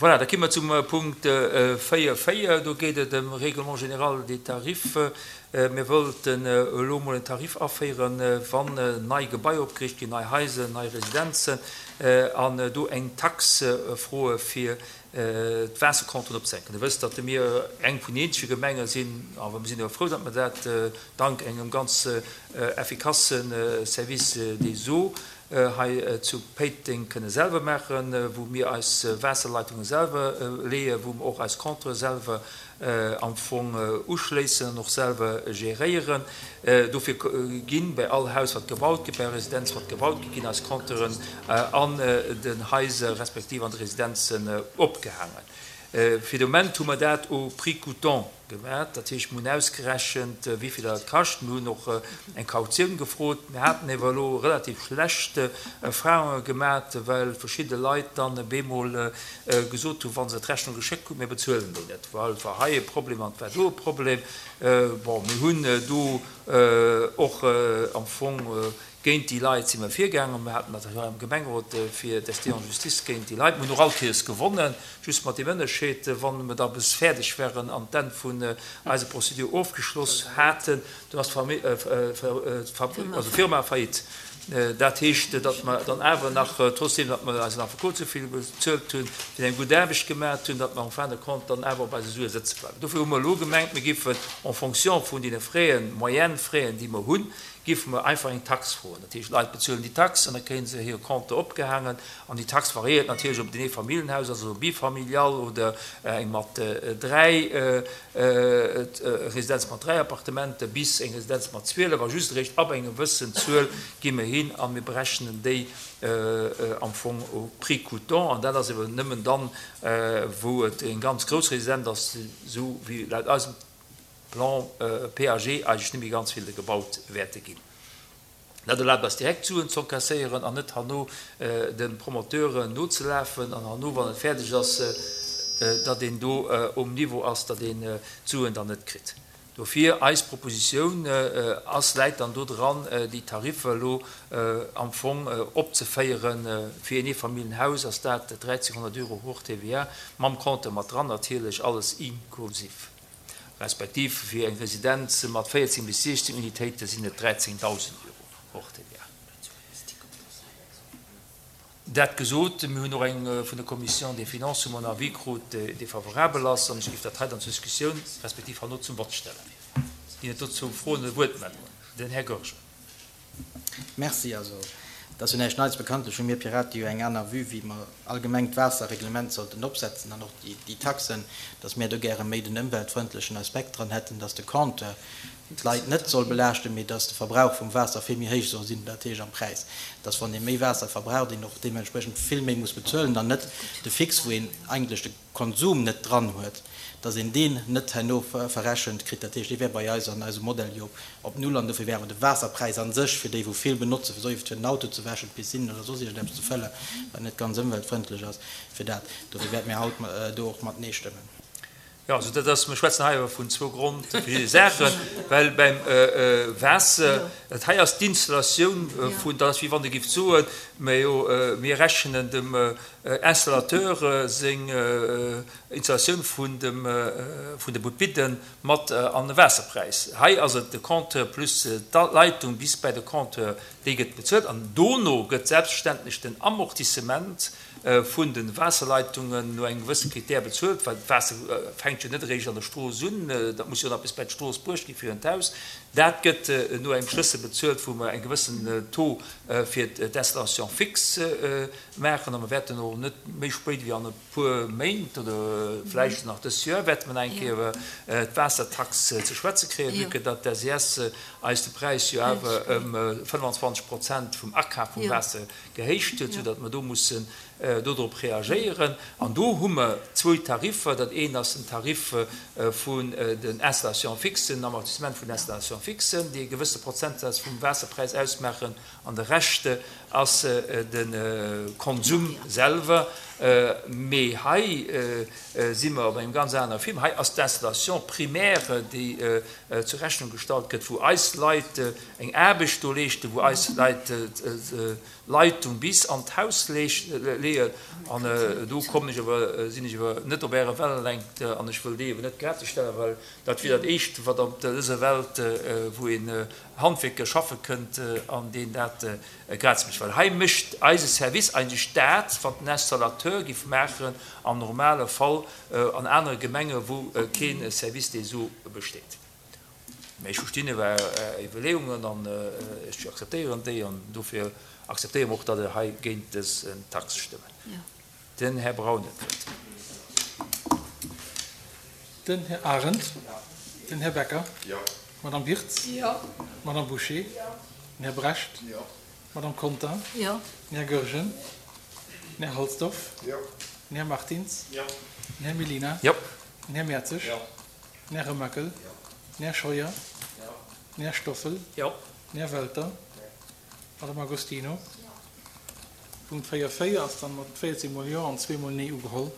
Voilà, da ki mer zum Punkt 4, 4. Do geet et ëm Règlement général des tarifs. Mir wollten elo emol en Tarif aféieren, wann nei Gebaier opgeriicht ginn, nei Haiser, nei Residenzen, an do eng Tax froe fir d'Waassercompteren opzehänken. Der wësst, datt mir eng vun den eenzege Gemenge sinn, awer mir sinn awer frou, datt mer dat dank engem ganz effikasse Service des eaux hei zu Péiteng kënne selwer maachen, wou mir eis Waasserleitunge selwer leeën, wou mer och eis Compteure selwer am Fong uschléissen an och selwer geréieren. Dofir ginn bei all Haus wat gebaut gëtt, bei all Residenz wat gebaut gëtt, ginn eis Compteuren an den Haiser respektiv an de Residenzen opgehaangen. Fir de Moment hu mer dat au prix coûtant Gemat. Dat heescht, mir hunn ausgerechent, wéi vill dat kascht. Mir hunn och eng Kautioun gefrot. Mir haten ewer elo relativ schlecht Erfahrunge gemat, well verschidde Leit dann bemol gesot hunn, wa se d'Rechnung geschéckt kruten, mir bezuelen déi net, well et war hei e Problem an et war do e Problem. Bon, mir hunn do och am Fong Géint déi Leit si mer virgaangen. Mir haten dat hei am Gemengerot fir d'Ester en justice géint déi Leit. Mir hunn och all Kéiers gewonnen, just mat deem Ënnerscheed, wa mer da bis fäerdeg waren an d'Enn vun eiser Procédure ofgeschloss haten, dunn ass d'Firma faillite. Dat heescht, datt mer dann awer nach, trotzdeem datt mer eisen Affekot esou vill bezuelt hunn, fir eng gutt Aarbecht gemaat hunn, datt mer en fin de compte dann awer op eise Sue sëtze bleiwen. Dofir hu mer elo gemengt, mir géifen en fonction vun deene Fräen, Moyenne-Fräen, déi mer hunn, Géife mer einfach eng Tax froen. Dat heescht, d'Leit bezuelen déi Tax an da kréie se hire Compteur opgehaangen. An déi Tax variéiert natierlech, ob et en Eefamilljenhaus ass oder bifamilial oder eng mat 3, Residenz mat 3 Appartementen bis eng Residenz mat 12. A just eréischt ab enger gewëssen Zuel gi mer hin a mir berechnen déi am Fong au prix coûtant. An dat ass eeben nëmmen dann, wou et eng ganz grouss Residenz ass, esou wéi laut eisem Plan PAG eigentlech net méi ganz vill gebaut wäerte ginn. Dat erlaabt eis direkt Suen z'encasséieren an net herno de Promoteuren nozelafen an herno, wann et fäerdeg ass, datt een do um Niveau ass, datt een d'Suen dann net kritt. Dofir eis Propositioun ass, läit dann do dran, déi Tariffer elo am Fong opzeféieren. Fir een Eefamilljenhaus ass dat 1.300 Euro hors TVA, mam Compteur mat dran natierlech, alles inklusiv. Respektiv fir eng Residenz mat 14 bis 16 Unitéite sinn et 13.000 Euro hors TVA. Dat gesot, mir hunn och eng vun der Commission des Finances hu mer en Avis krut, dee favorabel ass, an ech géif dat hei dann zur Diskussioun respektiv herno zum Vott stellen. Ginn et dozou Froen oder Wuertmeldungen? Den Här Goergen. Merci. Also, et ass jo näischt Neits. Bekanntlech hu mir Pirate jo eng aner Vue, wéi mer allgemeng d'Waasserreglement sollten opsetzen an och déi Taxen, dass mir do gäre méi den ëmweltfrëndlechen Aspekt dran hätten, dass de Compteur d'Leit net soll belaaschten, mee dass de Verbrauch vum Waasser vill méi héich soll sinn, dat heescht am Präis, dass wann ee méi Waasser verbraucht, een och deementspriechend vill méi muss bezuelen an net de Fixe, wou een eigentlech de Konsum net dran huet, dass een deen net herno verrechent kritt. Dat heescht, dee wär bei eis an eisem Modell jo op Null an dofir wär awer de Waasserpräis a sech fir déi wou vill benotzen, fir soief fir den Auto ze wäschen, d'Piscine oder soss iergendeppes ze fëllen, wat net ganz ëmweltfrëndlech ass, fir dat. Dofir wäerte mir haut do och mat Nee stëmmen. Jo, also dat ass, mir schwätzen hei awer vun zwou grondverschidde Saachen, well beim Waasser, dat hei ass d'Installatioun vun, dat ass wéi wann Der géift soen, majo mir rechnen dem Installateur seng Installatioun vun dem vun de Butbidden mat an de Waasserpräis. Hei ass et de Compteur plus d'Leitung bis bäi de Compteur, déi gëtt bezuelt an dono gëtt selbstverständlech den Amortissement vun de Waasserleitungen no engem gewësse Critère bezuelt, well d'Waasser fänkt jo net eréischt an der Strooss un, dat muss jo nach bis bäi d'Strooss bruecht gi fir un d'Haus. Dat gëtt no engem Schlëssel bezuelt, wou mer eng gewëssen Taux fir d'Installation fixe maachen a mer wäerten och net méi spéit wéi an e puer Méint oder vläicht nach dëst Joer wäerte mer nach eng Kéier iwwer d'Waassertax ze schwätze kréien, vue que datt d'SES eis de Präis jo awer ëm 25 Prozent vum Akaf vum Waasser gehéicht huet, soudatt mer do mussen dodrop reagéieren. An do hu mer zwou Tariffer. Dat eent ass den Tarif vun den Installations fixes, den Amortissement vun den Installations fixes, déi e gewësse Prozentsaz vum Waasserpräis ausmaachen, an de Rescht. ass de Konsum selwer. Mee hei si mer op engem ganz anere Film. Hei ass d'Installation primaire, déi zur Rechnung gestallt gëtt, wou eis Leit eng Aarbecht do leeschten, wou eis Leit d'Leitung bis an d'Haus leeën. An do kommen ech awer, sinn ech awer net op Ärer Wellenlängt an ech wëll déi awer net gratis stellen, well dat wier dat Éischt, wat op dëser Welt, wou een Handwierker schaffe kënnt an deen dat gratis mécht. Well hei mécht eise Service eigentlech dat, wat den Installateur géif maachen am normale Fall an anere Gemenge wou kee Service des eaux besteet. Mä ech verstinn Är Iwwerleeungen an ech akzeptéieren déi an dofir akzeptéiere mer och, datt Der hei géint dës Tax stëmmen. Den Här Braun huet d'Wuert. Den Här Arendt. Den Här Becker. D'Madame Wirtz. D'Madame Bouché. Den Här Brecht. D'Madame Conter. Den Här Goergen. Den Här Halsdorf. Den Här Martins. Den Här Mellina. Den Här Mertzig. Den Här Remakel. Den Här Scheuer. Den Här Stoffel. Den Här Welter. D'Madame Agostino. Punkt 4, 4 ass dann mat 14 mol Jo an zweemol Nee ugeholl.